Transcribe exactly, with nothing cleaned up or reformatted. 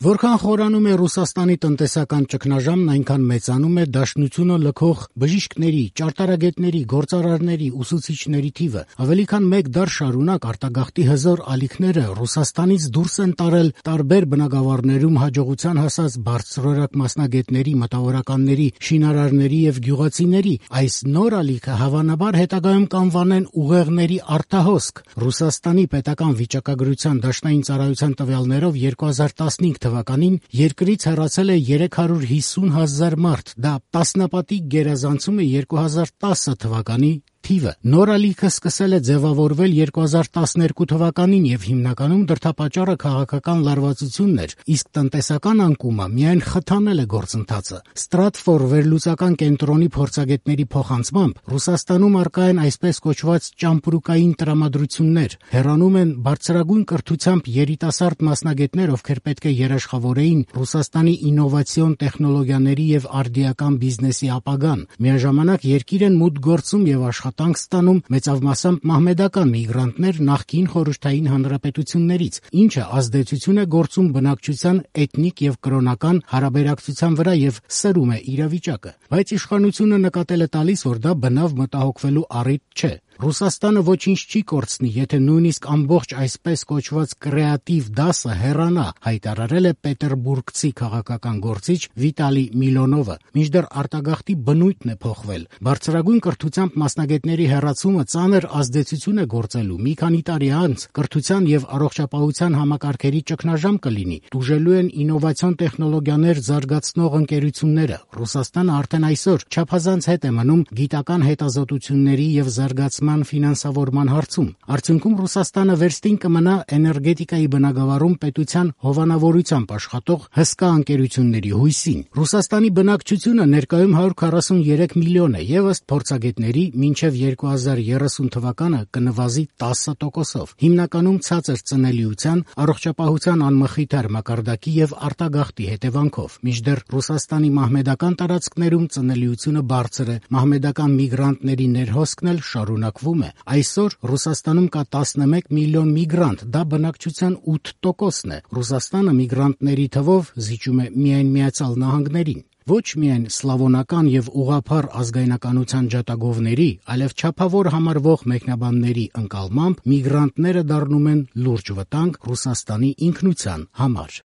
Որքան խորանում է Ռուսաստանի տնտեսական ճգնաժամն, այնքան մեծանում է դաշնությունը լքող բժիշկների, ճարտարագետների, գործարարների, ուսուցիչների թիվը։ Ավելի քան մեկ դար շարունակ արտագաղթի հզոր ալիքները Ռուսաստանից դուրս են տարել տարբեր բնագավառներում հաջողության հասած բարձրորակ մասնագետների, մտավորականների, շինարարների եւ գյուղացիների։ Այս նոր ալիքը հավանաբար հետագայում կանվանեն ուղեղների արտահոսք։ Ռուսաստանի պետական վիճակագրության դաշնային ծառայության տվյալներով երկու հազար տասնհինգ թվականին երկրից հեռացել է երեք հարյուր հիսուն հազար մարդ, դա տասնապատիկ գերազանցում է երկու հազար տասը թվականի թիվը։ Նոր ալիքը սկսել է ձևավորվել երկու հազար տասներկու թվականին եւ հիմնականում դրդապատճառը քաղաքական լարվածությունն էր, իսկ տնտեսական անկումը միայն խթանել է գործընթացը։ Stratfor վերլուծական կենտրոնի փորձագետների փոխանցմամբ Ռուսաստանում առկա են այսպես կոչված ճամպրուկային տրամադրություններ, հեռանում են բարձրագույն կրթությամբ երիտասարդ մասնագետներ, ովքեր պետք է երաշխավորեին Ռուսաստանի ինովացիոն տեխնոլոգիաների եւ արդիական բիզնեսի ապագան։ Միաժամանակ երկիր են մուտք գործում եւ աշխատանք ստանում մեծամասամբ մահմեդական միգրանտներ նախկին խորհրդային հանրապետություններից, ինչը ազդեցություն է գործում բնակչության էթնիկ եւ կրոնական հարաբերակցության վրա եւ սրում է իրավիճակը։ Բայց իշխանությունը նկատել է տալիս, որ դա բնավ մտահոգվելու առիթ չէ։ Ռուսաստանը ոչինչ չի կորցնի, եթե նույնիսկ ամբողջ այսպես կոչված կրեատիվ դասը հեռանա, հայտարարել է պետերբուրգցի քաղաքական գործիչ Վիտալի Միլոնովը։ Մինչդեռ արտագաղթի բնույթն է փոխվել։ Բարձրագույն կրթությամբ մասնագետների հեռացումը ծանր ազդեցություն է գործելու։ Մի քանի տարի անց կրթության եւ առողջապահության համակարգերի ճգնաժամ կլինի։ Տուժելու են ինովացիոն տեխնոլոգիաներ զարգացնող ընկերությունները։ Ռուսաստանը արդեն այսօր չափազանց հետ է մնում գիտական հետազոտությունների եւ զարգացման ֆինանսավորման հարցում։ Արդյունքում Ռուսաստանը վերստին կմնա էներգետիկայի բնագավառում պետության հովանավորությամբ աշխատող հսկա ընկերությունների հույսին։ Ռուսաստանի բնակչությունը ներկայում հարյուր քառասուններեք միլիոն է եւ ըստ փորձագետների մինչեւ երկու հազար երեսուն թվականը կնվազի տասը տոկոսով։ Հիմնականում ցածր ծնելիության, առողջապահության անմխիթար մակարդակի եւ արտագաղթի հետևանքով։ Մինչդեռ Ռուսաստանի մահմեդական տարածքներում ծնելիությունը բարձր է, մահմեդական միգրանտների ներհոսքն էլ շարունակվում է։ Այսօր Ռուսաստանում կա տասնմեկ միլիոն միգրանտ, դա բնակչության ութ տոկոսն է։ Ռուսաստանը միգրանտների թվով զիջում է միայն Միացյալ Նահանգներին։ Ոչ միայն սլավոնական եւ ուղղափառ ազգայնականության ջատագովների, այլև չափավոր համարվող մեկնաբանների ընկալմամբ միգրանտները դառնում են լուրջ վտանգ Ռուսաստանի ինքնության համար։